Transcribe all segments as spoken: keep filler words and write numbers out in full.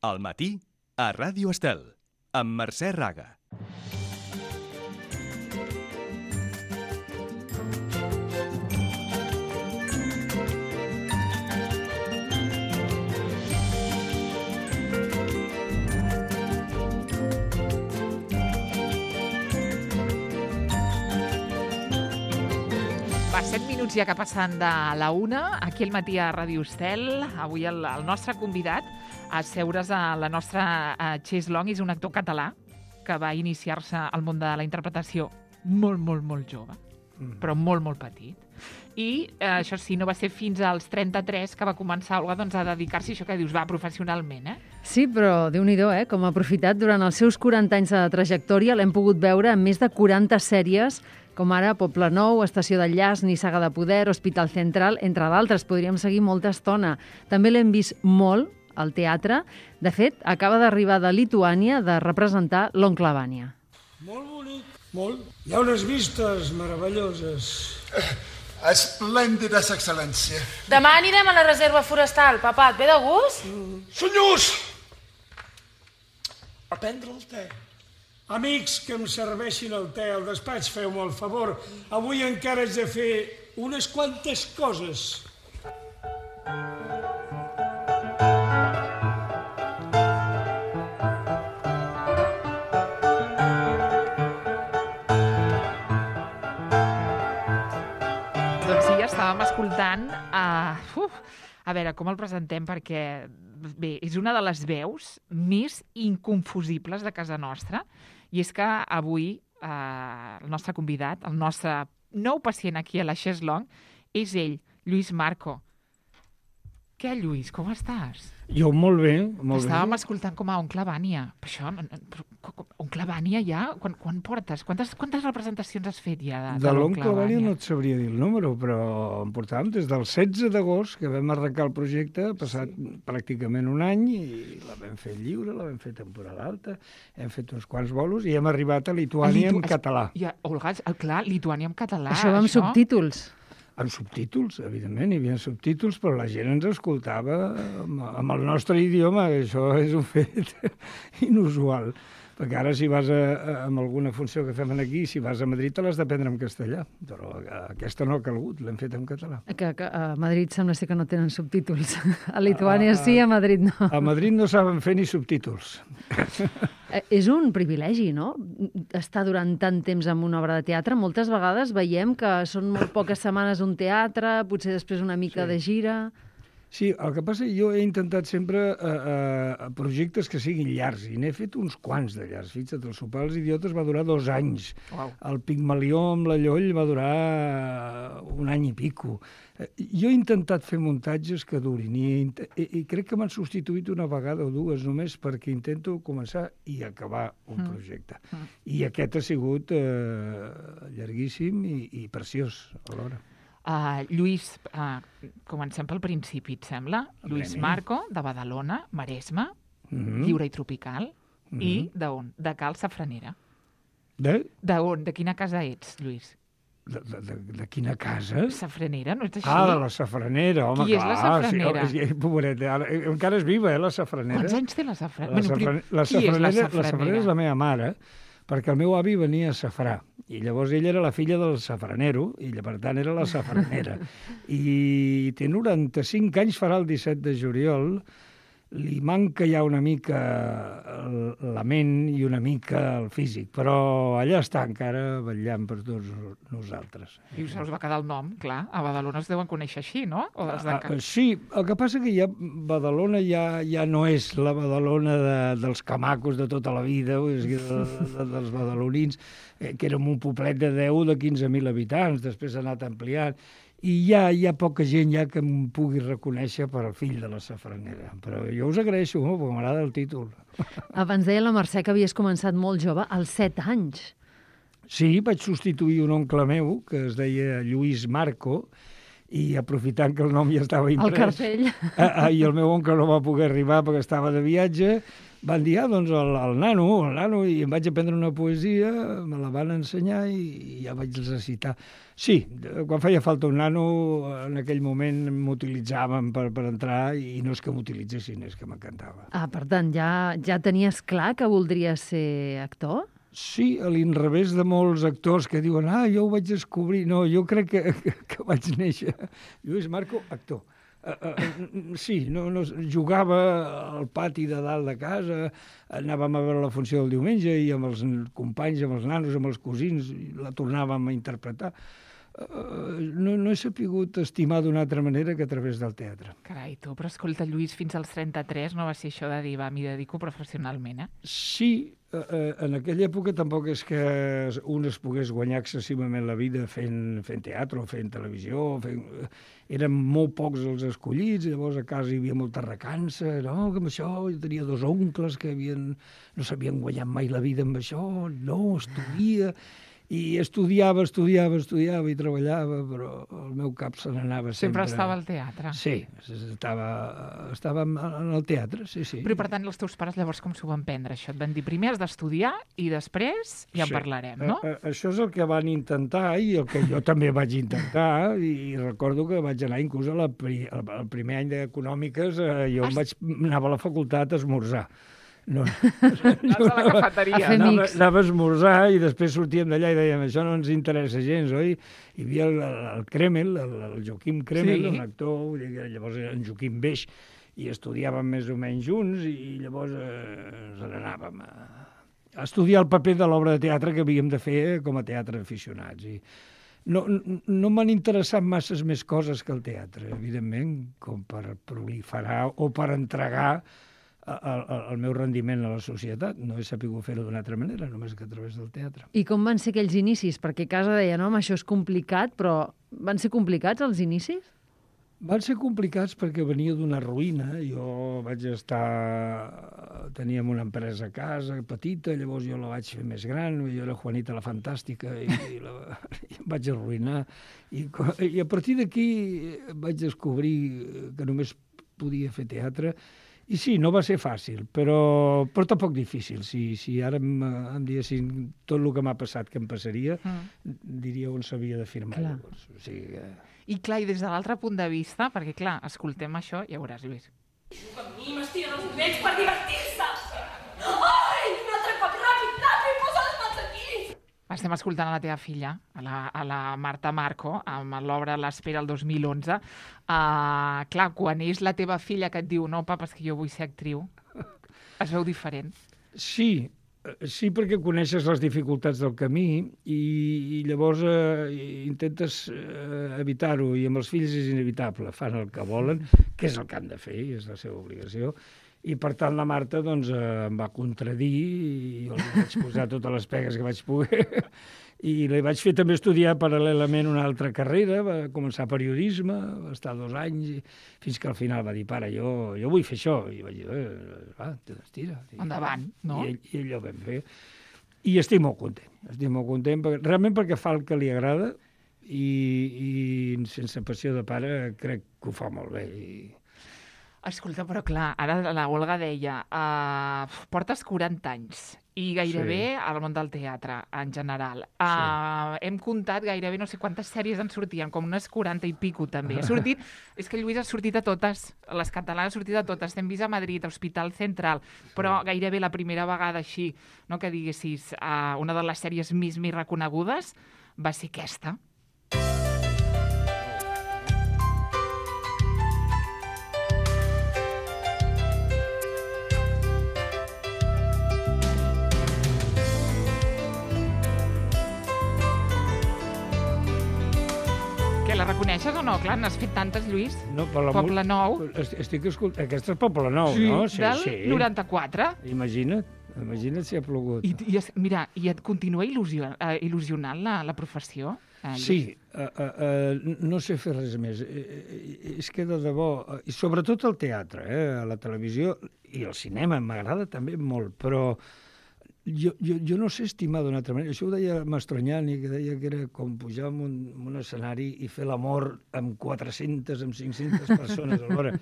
Al matí, a Ràdio Estel, amb Mercè Raga. Va, set minuts ja que passen de la una, aquí al matí a Ràdio Estel. Avui el, el nostre convidat a seure's a la nostra a Chase Long és un actor català que va iniciar-se al món de la interpretació molt, molt, molt jove, mm. però molt, molt petit. I eh, això sí, no va ser fins als trenta-tres que va començar Olga, doncs, a dedicar-s'hi, això que dius, va, professionalment, eh? Sí, però Déu-n'hi-do, eh? Com ha aprofitat durant els seus quaranta anys de trajectòria, l'hem pogut veure en més de quaranta sèries, com ara Poble Nou, Estació d'Enllaç, Nissaga de Poder, Hospital Central, entre d'altres. Podríem seguir molta estona. També l'hem vist molt al teatre. De fet, acaba d'arribar de Lituània de representar l'Oncle Vanya. Molt bonic, molt. Hi ha unes vistes meravelloses. Esplèndides, excel·lència. Demà anirem a la reserva forestal. Papà, et ve de gust? Mm. Senyors! A prendre el te. Amics, que em serveixin el te al despatx, feu-me el favor. Avui encara haig de fer unes quantes coses. Doncs sí, ja estàvem escoltant. Uh, uf, a veure, com el presentem? Perquè, bé, és una de les veus més inconfusibles de casa nostra. I és que avui eh, el nostre convidat, el nostre nou pacient aquí a la Chase Long, és ell, Lluís Marco. Què, Lluís, com estàs? Jo molt bé, molt Estàvem bé. escoltant com a Oncle Vanya. Per això, Oncle Vanya ja? Quan, quan portes? Quantes, quantes representacions has fet ja de, De, de l'Oncle Vanya no et sabria dir el número, però en portàvem des del setze d'agost, que vam arrencar el projecte, ha passat sí. pràcticament un any, i la vam fer lliure, la vam fer temporada alta, hem fet uns quants bolos i hem arribat a Lituània Litu... en català. Ja, Olga, clar, Lituània en català. Això va amb això... subtítols. Amb subtítols, evidentment, hi havia subtítols, però la gent ens escoltava amb, amb el nostre idioma, això és un fet inusual. Perquè ara, si vas a, a, amb alguna funció que fem aquí, si vas a Madrid, te l'has d'aprendre en castellà. Però aquesta no ha calgut, l'hem fet en català. Que, que a Madrid sembla ser que no tenen subtítols. A Lituània a, sí, a Madrid no. A Madrid no saben fer ni subtítols. És un privilegi, no?, estar durant tant temps en una obra de teatre. Moltes vegades veiem que són molt poques setmanes un teatre, potser després una mica sí. de gira... Sí, el que passa és que jo he intentat sempre eh, eh, projectes que siguin llargs, i n'he fet uns quants de llargs. Fixa't, el Sopar dels Idiotes va durar dos anys. Wow. El Pigmalió amb la Lloll va durar un any i pico. Eh, jo he intentat fer muntatges que durin, i, i, i crec que m'han substituït una vegada o dues només perquè intento començar i acabar un mm. projecte. Mm. I aquest ha sigut eh, llarguíssim i, i preciós alhora. Uh, Lluís, uh, comencem pel principi, et sembla? A Lluís premi. Marco, de Badalona, Maresme, mm-hmm. lliure i tropical, mm-hmm. i d'on? De Cal Safranera. De? D'on? De quina casa ets, Lluís? De, de, de, de quina casa? Safranera, no ets així? Ah, de la Safranera, home, Qui clar. és la Safranera? Sí, oh, pobreta, ara, encara és viva, eh, la Safranera. Quants anys té la Safranera? La, bueno, safran... la, qui és la Safranera? La Safranera és la meva mare, perquè el meu avi venia a Safrà, i llavors ella era la filla del safranero, i per tant era la safranera. I té noranta-cinc anys, farà el disset de juliol, li manca ja una mica la ment i una mica el físic, però allà està encara vetllant per tots nosaltres. I us va quedar el nom, clar. A Badalona es deuen conèixer així, no? O dels de... uh, sí, el que passa que ja Badalona ja, ja no és la Badalona de, dels camacos de tota la vida, o sigui, de, de, dels badalonins, eh, que érem un poblet de deu o de quinze mil habitants, després ha anat ampliant, i ja hi ha poca gent ja que em pugui reconèixer per al fill de la Safranera. Però jo us agraeixo molt, perquè m'agrada el títol. Abans deia la Mercè que havies començat molt jove, als set anys. Sí, vaig substituir un oncle meu, que es deia Lluís Marco, i aprofitant que el nom ja estava imprès... El cartell. Ah, I el meu oncle no va poder arribar perquè estava de viatge, van dir, ah, doncs el, el nano, el nano, i em vaig aprendre una poesia, me la van ensenyar i, i ja vaig recitar. Sí, quan feia falta un nano, en aquell moment m'utilitzaven per, per entrar i no és que m'utilitzessin, és que m'encantava. Ah, per tant, ja, ja tenies clar que voldries ser actor? Sí, a l'inrevés de molts actors que diuen, ah, jo ho vaig descobrir. No, jo crec que, que, que vaig néixer. Lluís Marco, actor. Uh, uh, sí, no, no, jugava al pati de dalt de casa, anàvem a veure la funció del diumenge i amb els companys, amb els nanos, amb els cosins, la tornàvem a interpretar. Uh, no, no he sapigut estimar d'una altra manera que a través del teatre. Carai, tu, però escolta, Lluís, fins als trenta-tres no va ser això de dir, va, m'hi dedico professionalment, eh? Sí, uh, uh, en aquella època tampoc és que un es pogués guanyar excessivament la vida fent, fent teatre o fent televisió. Fent... Eren molt pocs els escollits, llavors a casa hi havia molta recança, no, que amb això jo tenia dos oncles que havien, no s'havien guanyat mai la vida amb això, no, estudia... I estudiava, estudiava, estudiava i treballava, però el meu cap se n'anava sempre... Sempre estava al teatre. Sí, estava, estava en el teatre, sí, sí. Però, per tant, els teus pares llavors com s'ho van prendre, això? Et van dir, primer has d'estudiar i després ja en sí. parlarem, no? A, a, això és el que van intentar i el que jo també vaig intentar, i recordo que vaig anar inclús a la pri, al primer any d'Econòmiques, eh, jo em vaig, anava a la facultat a esmorzar. No, Anaves a la cafeteria. A fer anava, mix. anava a esmorzar i després sortíem d'allà i dèiem, això no ens interessa gens, oi? Hi havia el, el Kremel, el, el Joaquim Kremel, Sí. un actor, vull dir que llavors era en Joaquim Beix, i estudiàvem més o menys junts, i llavors eh, ens n'anàvem a, a estudiar el paper de l'obra de teatre que havíem de fer com a teatre aficionats. I no no, no m'han interessat masses més coses que el teatre, evidentment, com per proliferar o per entregar El, el, el meu rendiment a la societat. No he sapigut fer-ho d'una altra manera, només que a través del teatre. I com van ser aquells inicis? Perquè a casa deia, no, home, això és complicat, però van ser complicats els inicis? Van ser complicats perquè venia d'una ruïna. Jo vaig estar... Teníem una empresa a casa, petita, llavors jo la vaig fer més gran, jo era Juanita la Fantàstica, i, i, la, i em vaig arruïnar. I, i a partir d'aquí vaig descobrir que només podia fer teatre. I sí, no va ser fàcil, però, però tampoc difícil. Si, si ara em, em diguessin tot el que m'ha passat que em passaria, mm. diria on s'havia de firmar. Llavors. O sigui, que... I clar, i des de l'altre punt de vista, perquè clar, escoltem això, ja veuràs, Lluís. Juga amb mi, m'estiren els moviments per divertir-se! Ai, un altre cop ràpid, ràpid, posa les mans aquí! Estem escoltant a la teva filla, a la, a la Marta Marco, amb l'obra L'Espera el dos mil onze. Uh, clar, quan és la teva filla que et diu no, papa, és que jo vull ser actriu, es veu diferent. Sí, sí, perquè coneixes les dificultats del camí i, i llavors eh, intentes eh, evitar-ho, i amb els fills és inevitable, fan el que volen, que és el que han de fer, és la seva obligació. I, per tant, la Marta doncs, eh, em va contradir i jo li vaig posar totes les pegues que vaig poder. I li vaig fer també estudiar paral·lelament una altra carrera, va començar periodisme, va estar dos anys, i, fins que al final va dir, pare, jo, jo vull fer això. I vaig dir, eh, va, tira. Endavant, no? I, I ell ho vam fer. I estic molt content, estic molt content, perquè, realment perquè fa el que li agrada i, i sense passió de pare crec que ho fa molt bé. I... Escolta, però clar, ara la Olga deia, uh, portes quaranta anys i gairebé sí. al món del teatre, en general. Uh, sí. Hem comptat gairebé no sé quantes sèries en sortien, com unes quaranta i pico també. Ha sortit, és que Lluís ha sortit a totes, les catalanes ha sortit a totes. T'hem vist a Madrid, a Hospital Central, però sí. gairebé la primera vegada així, no, que diguessis, uh, una de les sèries més, més reconegudes va ser aquesta. La reconeixes o no? Clar, n'has fet tantes, Lluís. No, per la Poble Nou. Estic escoltant... Aquesta és Poble Nou, sí, no? Sí, del sí. noranta-quatre. Imagina't, imagina't si ha plogut. I, i es, mira, i et continua il·lusió, uh, il·lusionant la, la professió? Eh, sí, uh, uh, uh, no sé fer res més. Uh, és que de debò, uh, i sobretot el teatre, eh, la televisió i el cinema m'agrada també molt, però jo, jo, jo no sé estimar d'una altra manera. Això ho deia Mastroianni, que deia que era com pujar en un, en un escenari i fer l'amor amb quatre-centes, amb cinc-centes persones alhora.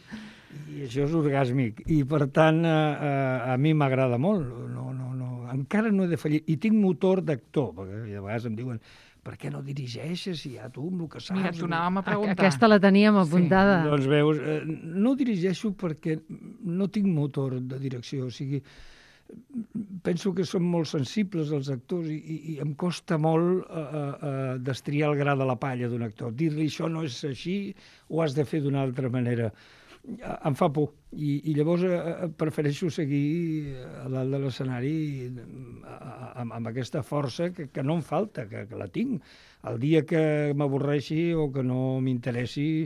I això és orgàsmic. I, per tant, a, a, a mi m'agrada molt. No, no, no. Encara no he de fallir. I tinc motor d'actor, perquè a vegades em diuen per què no dirigeixes si ja tu amb el que saps... Mira, t'ho anàvem a preguntar. Aquesta la teníem apuntada. Sí. Doncs veus, eh, no dirigeixo perquè no tinc motor de direcció, o sigui, penso que som molt sensibles els actors i, i, i em costa molt eh, eh, destriar el gra de la palla d'un actor. Dir-li això no és així, ho has de fer d'una altra manera. Em fa por i, i llavors eh, prefereixo seguir a dalt de l'escenari amb, amb aquesta força que, que no em falta, que, que la tinc. El dia que m'avorreixi o que no m'interessi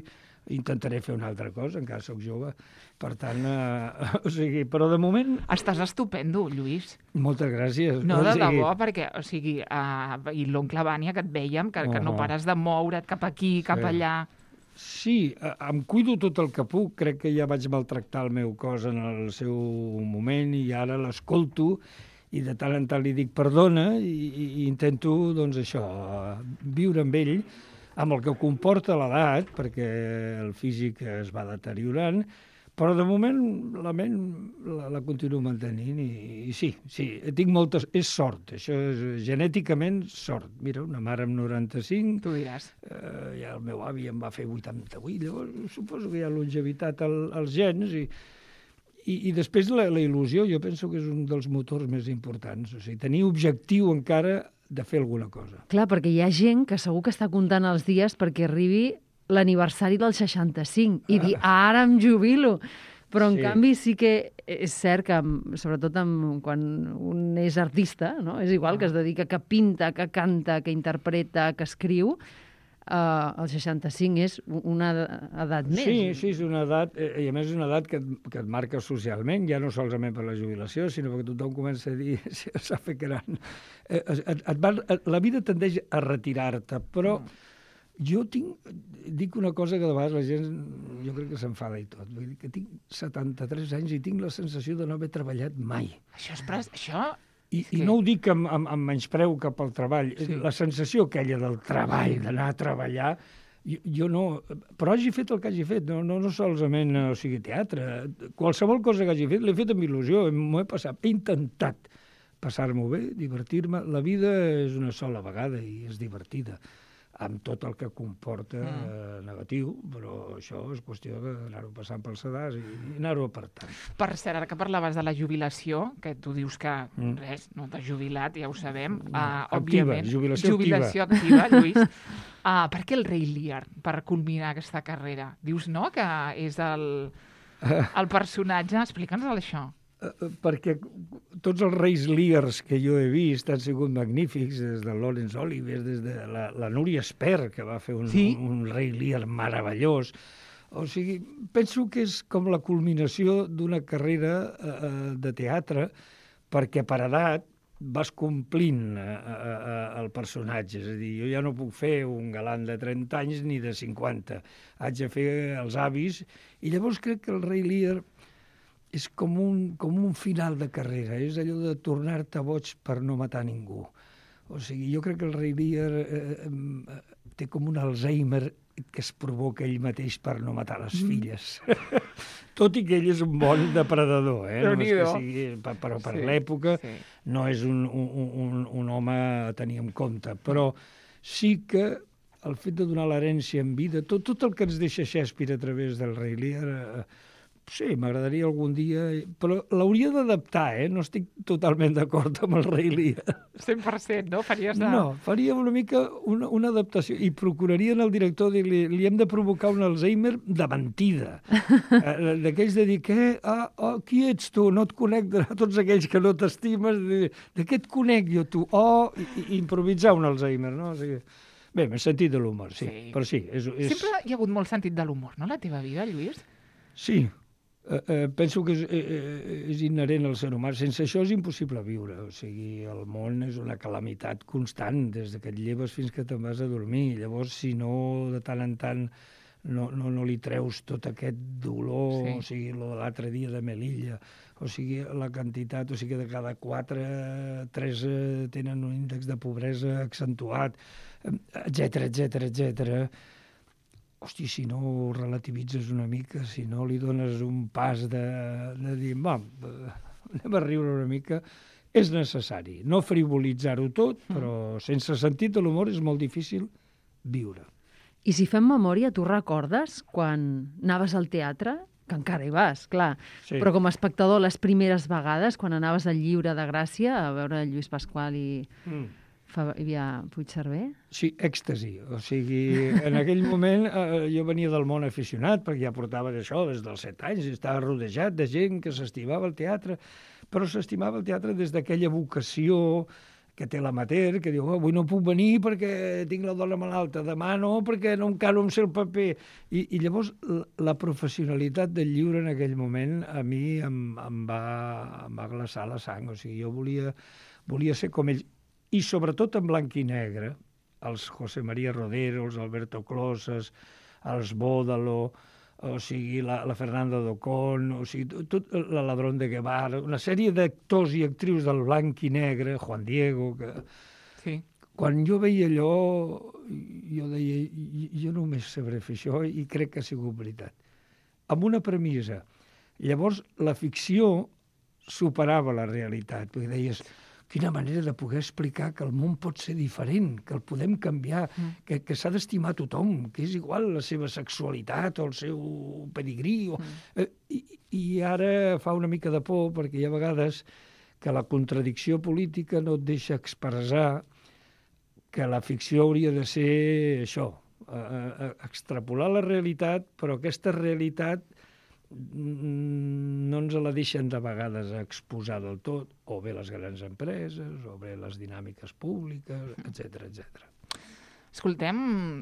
intentaré fer una altra cosa, encara sóc jove. Per tant, eh, o sigui, però de moment... Estàs estupendo, Lluís. Moltes gràcies. No, de o sigui... debò, perquè, o sigui, uh, i l'oncle Vània, que et vèiem, que, uh -huh. que no pares de moure't cap aquí, cap sí. allà... Sí, em cuido tot el que puc. Crec que ja vaig maltractar el meu cos en el seu moment i ara l'escolto i de tant en tant li dic perdona i, i intento, doncs, això, viure amb ell, amb el que comporta l'edat, perquè el físic es va deteriorant, però de moment la ment la, la continuo mantenint i, i sí, sí, tinc moltes... És sort, això és genèticament sort. Mira, una mare amb noranta-cinc... Tu diràs. Eh, ja el meu avi em va fer vuitanta-vuit, llavors suposo que hi ha longevitat al, als gens i, i, i després la, la il·lusió jo penso que és un dels motors més importants. O sigui, tenir objectiu encara de fer alguna cosa. Clar, perquè hi ha gent que segur que està comptant els dies perquè arribi l'aniversari del seixanta-cinc i dir, ara em jubilo. Però, en Sí. canvi, sí que és cert que, sobretot amb, quan un és artista, no? És igual que es dedica, que pinta, que canta, que interpreta, que escriu, eh, el seixanta-cinc és una edat més. Sí, sí, és una edat, eh, i a més és una edat que et, que et marca socialment, ja no solament per la jubilació, sinó perquè tothom comença a dir, si s'ha fet gran. Eh, et, et va, et, la vida tendeix a retirar-te, però... Mm. Jo tinc, dic una cosa que de vegades la gent, jo crec que s'enfada i tot, vull dir que tinc setanta-tres anys i tinc la sensació de no haver treballat mai. Això és... Pres... Això... I, que... i no ho dic amb, amb, amb menyspreu cap al treball. Sí. La sensació aquella del treball, d'anar a treballar, jo, jo no... Però hagi fet el que hagi fet, no, no, no solament, o sigui, teatre. Qualsevol cosa que hagi fet l'he fet amb il·lusió, m'ho he passat. He intentat passar-m'ho bé, divertir-me. La vida és una sola vegada i és divertida, amb tot el que comporta mm. eh, negatiu, però això és qüestió d'anar-ho passant pel sedàs i, i anar-ho apartant. Per cert, ara que parlaves de la jubilació, que tu dius que Mm. res, no t'has jubilat, ja ho sabem, uh, Activa, òbviament. jubilació jubilació activa. activa, Lluís. Uh, per què el Rei Lear, per culminar aquesta carrera? Dius, no?, que és el, el personatge. Explica'ns això. Uh, perquè tots els reis Lears que jo he vist han sigut magnífics, des de Laurence Olivier, des de la, la Núria Espert, que va fer un, Sí? un, un rei Lear meravellós. O sigui, penso que és com la culminació d'una carrera uh, de teatre, perquè per edat vas complint uh, uh, el personatge. És a dir, jo ja no puc fer un galant de trenta anys ni de cinquanta. Haig de fer els avis. I llavors crec que el rei Lear és com un, com un final de carrera, és allò de tornar-te boig per no matar ningú. O sigui, jo crec que el rei Lear eh, eh, té com un Alzheimer que es provoca ell mateix per no matar les filles. Tot i que ell és un bon depredador, eh? No és que sigui, però per Sí, l'època sí. no és un, un, un, un home a tenir en compte. Però sí que el fet de donar l'herència en vida, tot, tot el que ens deixa Shakespeare a través del rei Lear... Eh, sí, m'agradaria algun dia... Però l'hauria d'adaptar, eh? No estic totalment d'acord amb el rei Lear. cent per cent, no? Faries de... No, faria una mica una, una adaptació i procurarien al director dir-li li hem de provocar un Alzheimer de mentida. eh, D'aquells de dir, què? Ah, oh, qui ets tu? No et conec de tots aquells que no t'estimes. De, de què et conec jo, tu? Oh, i, i improvisar un Alzheimer, no? O sigui, bé, m'he sentit de l'humor, sí. Sí. Però sí, és, és... Sempre hi ha hagut molt sentit de l'humor, no?, la teva vida, Lluís? Sí, eh, eh, penso que és, eh, és inherent al ser humà. Sense això és impossible viure. O sigui, el món és una calamitat constant, des que et lleves fins que te'n vas a dormir. Llavors, si no de tant en tant no, no, no li treus tot aquest dolor, Sí. o sigui, lo de l'altre dia de Melilla, o sigui, la quantitat, o sigui, de cada quatre, tres eh, tenen un índex de pobresa accentuat, etcètera, etcètera, etcètera. Hosti, si no ho relativitzes una mica, si no li dones un pas de, de dir, va, anem a riure una mica, és necessari. No frivolitzar-ho tot, però sense sentit de l'humor és molt difícil viure. I si fem memòria, tu recordes quan anaves al teatre? Que encara hi vas, clar. Sí. Però com a espectador, les primeres vegades, quan anaves al Lliure de Gràcia a veure Lluís Pasqual i Mm. Fabià Puigcerver? Sí, èxtasi. O sigui, en aquell moment eh, jo venia del món aficionat, perquè ja portava això des dels set anys, i estava rodejat de gent que s'estimava el teatre, però s'estimava el teatre des d'aquella vocació que té l'amateur, que diu, oh, avui no puc venir perquè tinc la dona malalta, demà no, perquè no encara em sé el paper. I, i llavors la, la professionalitat del lliure en aquell moment a mi em, em, va, em va glaçar la sang. O sigui, jo volia, volia ser com ells. I sobretot en blanc i negre, els José María Rodero, els Alberto Closas, els Bódalo, o sigui, la, la Fernanda Docón, o sigui, tot la Ladrón de Guevara, una sèrie d'actors i actrius del blanc i negre, Juan Diego, que... Sí. Quan jo veia allò, jo deia, jo només sabré fer això i crec que ha sigut veritat. Amb una premissa. Llavors, la ficció superava la realitat, perquè deies, quina manera de poder explicar que el món pot ser diferent, que el podem canviar, mm. que, que s'ha d'estimar tothom, que és igual la seva sexualitat o el seu pedigrí. O... Mm. I, I ara fa una mica de por, perquè hi ha vegades que la contradicció política no et deixa expressar que la ficció hauria de ser això, eh, extrapolar la realitat, però aquesta realitat no ens la deixen de vegades exposar del tot, o bé les grans empreses, o bé les dinàmiques públiques, etcètera, etcètera. Escoltem,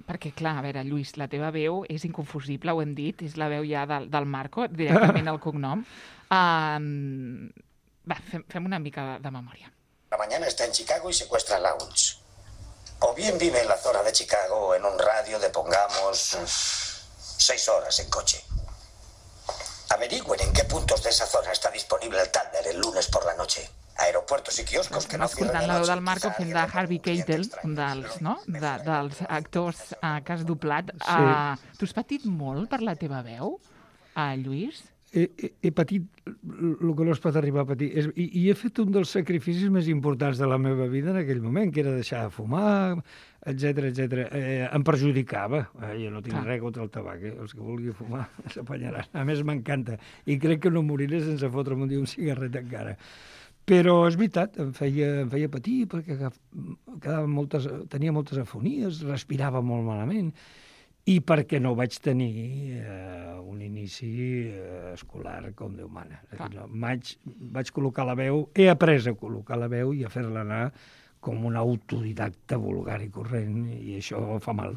perquè clar, a veure, Lluís, la teva veu és inconfusible, ho hem dit, és la veu ja del, del Marco, directament el cognom. Um, va, fem, fem una mica de, de memòria. La mañana está en Chicago y secuestra a Lounge. O bien vive en la zona de Chicago en un radio de, pongamos, seis horas en coche. Averigüen en qué puntos de esa zona está disponible el Thunder el lunes por la noche. Aeropuertos i quioscos que no cierren escoltant de la veu noche. del Marco fent de Harvey Keitel, un dels, no? de, dels actors uh, que has doblat. Sí. Uh, tu has patit molt per la teva veu, uh, Lluís? He, he, he patit el que no es pot arribar a patir. És, i, I he fet un dels sacrificis més importants de la meva vida en aquell moment, que era deixar de fumar, etcètera, etcètera. Eh, em perjudicava. Eh, jo no tinc Clar. res contra el tabac, eh? Els que vulgui fumar s'apanyaran. A més, m'encanta. I crec que no moriré sense fotre'm un dia un cigarret encara. Però és veritat, em feia, em feia patir, perquè quedava moltes, tenia moltes afonies, respirava molt malament, i perquè no vaig tenir eh, un inici eh, escolar com Déu mana. No, vaig, vaig col·locar la veu, he après a col·locar la veu i a fer-la anar com un autodidacta vulgar i corrent, i això fa mal.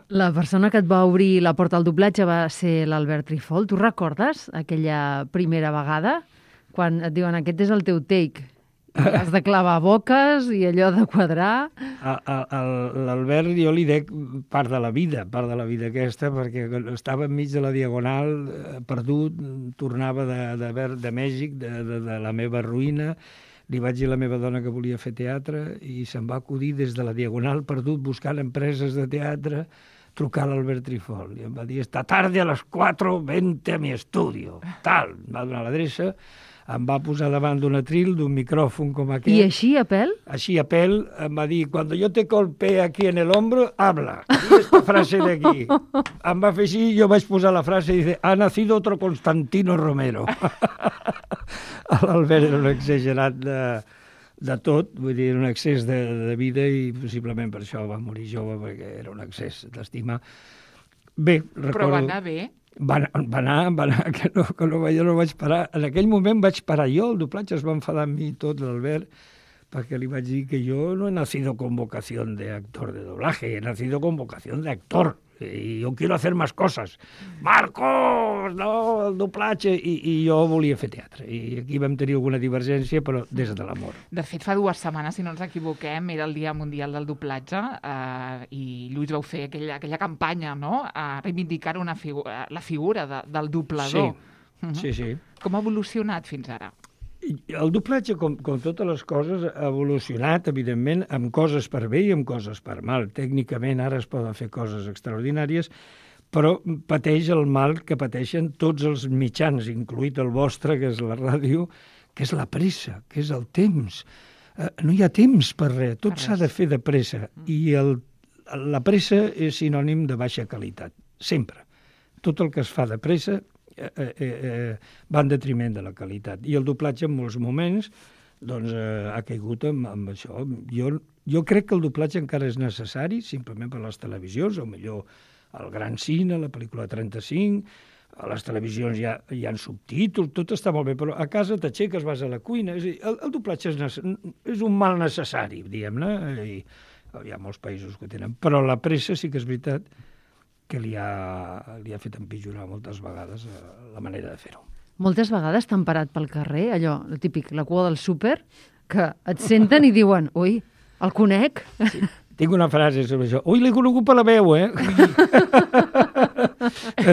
La persona que et va obrir la porta al doblatge va ser l'Albert Trifol. Tu recordes aquella primera vegada? Quan et diuen, aquest és el teu take, i has de clavar boques i allò de quadrar. L'Albert, jo li dec part de la vida, part de la vida aquesta, perquè estava enmig de la Diagonal, perdut, tornava de, de, de Mèxic, de, de, de la meva ruïna. Li vaig dir a la meva dona que volia fer teatre i se'm va acudir des de la Diagonal, perdut, buscant empreses de teatre, trucar a l'Albert Trifol. I em va dir, esta tarde a les quatre, vente a mi estudio. Tal, em va donar l'adreça, em va posar davant d'un atril, d'un micròfon com aquest. I així, a pèl? Així, a pèl, em va dir, cuando yo te golpee aquí en el hombro, habla. Di esta frase de aquí. Em va fer així, jo vaig posar la frase i dice, ha nacido otro Constantino Romero. L'Albert era un exagerat de, de tot, vull dir, un excés de, de vida i possiblement per això va morir jove, perquè era un excés d'estima. Bé, recordo... Però va anar bé? Va, va anar, va anar, que no, que no, jo no vaig parar. En aquell moment vaig parar jo, el doblatge es va enfadar amb mi tot, l'Albert, perquè li vaig dir que jo no he nacido con vocación de actor de doblaje, he nacido con vocación de actor. i jo quiero hacer más cosas. Marcos, no, el doblatge, i, i jo volia fer teatre. I aquí vam tenir alguna divergència, però des de l'amor. De fet, fa dues setmanes, si no ens equivoquem, era el Dia Mundial del Doblatge eh, i Lluís vau fer aquella, aquella campanya, no?, a reivindicar una figu la figura de, del doblador. Sí, uh -huh. sí, sí. Com ha evolucionat fins ara? El doblatge, com, com totes les coses, ha evolucionat, evidentment, amb coses per bé i amb coses per mal. Tècnicament ara es poden fer coses extraordinàries, però pateix el mal que pateixen tots els mitjans, incluït el vostre, que és la ràdio, que és la pressa, que és el temps. Uh, no hi ha temps per res, tot s'ha de fer de pressa. I el, la pressa és sinònim de baixa qualitat, sempre. Tot el que es fa de pressa Eh, eh, eh, va en detriment de la qualitat. I el doblatge en molts moments doncs, eh, ha caigut amb, amb això. Jo, jo crec que el doblatge encara és necessari, simplement per les televisions, o millor el gran cine, la pel·lícula trenta-cinc, a les televisions hi ha, hi ha subtítols, tot està molt bé, però a casa t'aixeques, vas a la cuina. És a dir, el, el doblatge és, és un mal necessari, diguem-ne, i hi ha molts països que tenen. Però la pressa sí que és veritat que li ha, li ha fet empitjorar moltes vegades la manera de fer-ho. Moltes vegades t'han parat pel carrer, allò, el típic, la cua del súper, que et senten i diuen, ui, el conec? Sí. Tinc una frase sobre això. Ui, l'he conegut per la veu, eh?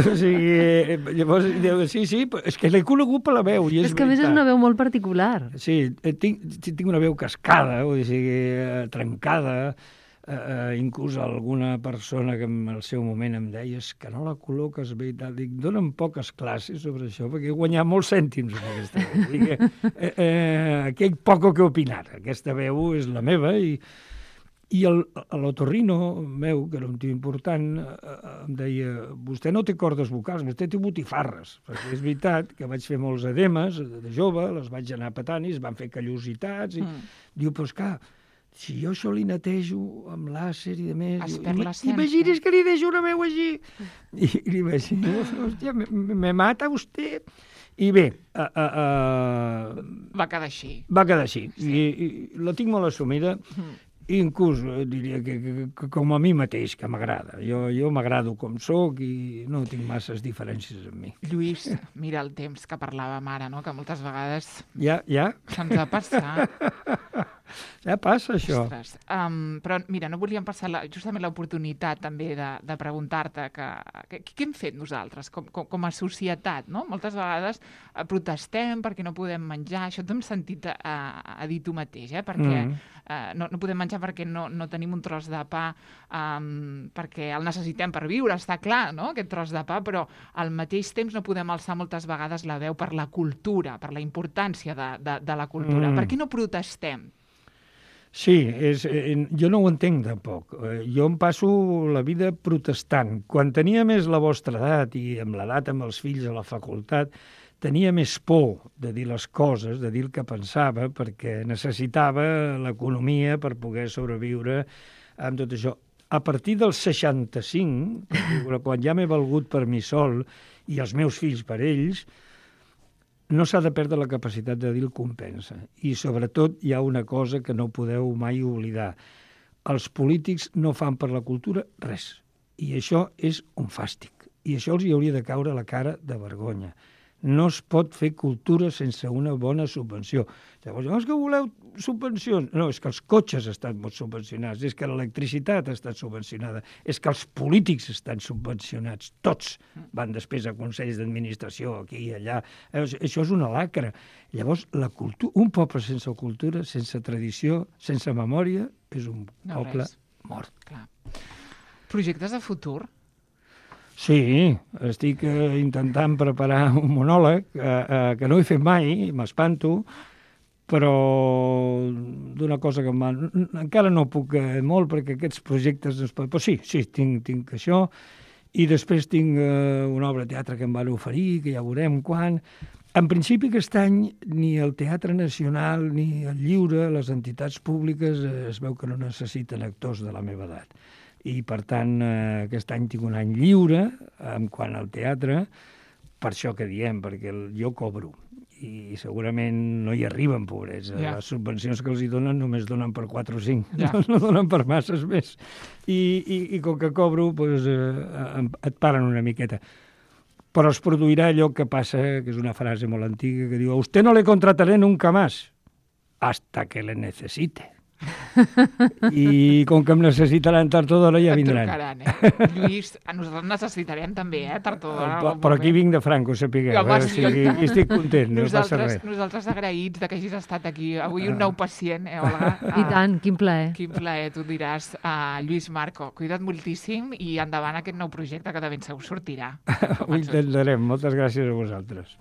O sigui, llavors, sí, sí, és que l'he conegut per la veu. I és, és que a més és una veu molt particular. Sí, tinc, tinc una veu cascada, o sigui, trencada. Uh, inclús alguna persona que en el seu moment em deia és que no la col·loques bé i tal. Dic, dona'm poques classes sobre això, perquè he guanyat molts cèntims amb aquesta veu. Dic, eh, eh, aquí hi ha poc que opinar. Aquesta veu és la meva i, i l'otorrino meu, que era un tio important, eh, em deia, vostè no té cordes vocals, vostè té botifarres. Perquè és veritat que vaig fer molts edemes de jove, les vaig anar petant i es van fer callositats. I mm. Diu, però és clar, si jo això li netejo amb làser i de més... Es perd l'essència. Imagines que li deixo una veu així. I, i li vaig dir, hòstia, me, me mata vostè. I bé... Uh, uh, uh, va quedar així. Va quedar així. Sí. I, I la tinc molt assumida. Mm. I inclús diria que, que, que com a mi mateix, que m'agrada. Jo, jo m'agrado com sóc i no tinc masses diferències amb mi. Lluís, mira el temps que parlàvem ara, no?, que moltes vegades... Ja, ja? Se'ns ha passat. Ja passa, això. Ostres, um, però mira, no volíem passar la, justament l'oportunitat també de, de preguntar-te que, que, què hem fet nosaltres com, com, com a societat, no? Moltes vegades eh, protestem perquè no podem menjar, això t'hem sentit a, a dir tu mateix, eh? Perquè mm. eh, no, no podem menjar perquè no, no tenim un tros de pa, um, perquè el necessitem per viure, està clar, no?, aquest tros de pa, però al mateix temps no podem alçar moltes vegades la veu per la cultura, per la importància de, de, de la cultura. Mm. Per què no protestem? Sí, és, eh, jo no ho entenc tampoc. Eh, jo em passo la vida protestant. Quan tenia més la vostra edat i amb l'edat amb els fills a la facultat, tenia més por de dir les coses, de dir el que pensava, perquè necessitava l'economia per poder sobreviure amb tot això. A partir del seixanta-cinc, quan ja m'he valgut per mi sol i els meus fills per ells, no s'ha de perdre la capacitat de dir el compensa. I, sobretot, hi ha una cosa que no podeu mai oblidar. Els polítics no fan per la cultura res. I això és un fàstic. I això els hi hauria de caure a la cara de vergonya. No es pot fer cultura sense una bona subvenció. Llavors, no és que voleu subvencions. No, és que els cotxes estan molt subvencionats, és que l'electricitat està subvencionada, és que els polítics estan subvencionats. Tots van després a consells d'administració, aquí i allà. Això és una lacra. Llavors, la cultura, un poble sense cultura, sense tradició, sense memòria, és un no poble res. mort. Clar. Projectes de futur? Sí, estic eh, intentant preparar un monòleg eh, eh, que no he fet mai, m'espanto, però d'una cosa que em va... encara no puc eh, molt perquè aquests projectes... Però sí, sí, tinc, tinc això, i després tinc eh, una obra de teatre que em van oferir, que ja veurem quan... En principi, aquest any, ni el Teatre Nacional ni el Lliure, les entitats públiques, eh, es veu que no necessiten actors de la meva edat. I, per tant, eh, aquest any tinc un any lliure en quant al teatre, per això que diem, perquè el, jo cobro. i segurament no hi arriben, pobrets. Ja. Les subvencions que els hi donen només donen per quatre o cinc, Ja. no, no donen per masses més. I, i, i com que cobro, doncs, eh, et paren una miqueta. Però es produirà allò que passa, que és una frase molt antiga, que diu: a usted no le contrataré nunca más, hasta que le necesite. I com que em necessitaran tard o d'hora ja Et vindran. trucaran, eh? Lluís, a nosaltres necessitarem també, eh? Tard o d'hora. Però, però aquí vinc de franco, sapigueu. Home, Eh? O sí. sigui, aquí estic content, no passa Nosaltres, res. nosaltres agraïts de que hagis estat aquí. Avui un nou pacient, eh, Olga? I tant, quin plaer. Quin plaer, tu diràs. Uh, Lluís Marco, cuida't moltíssim i endavant aquest nou projecte que de ben segur sortirà. Ho intentarem. Moltes gràcies a vosaltres.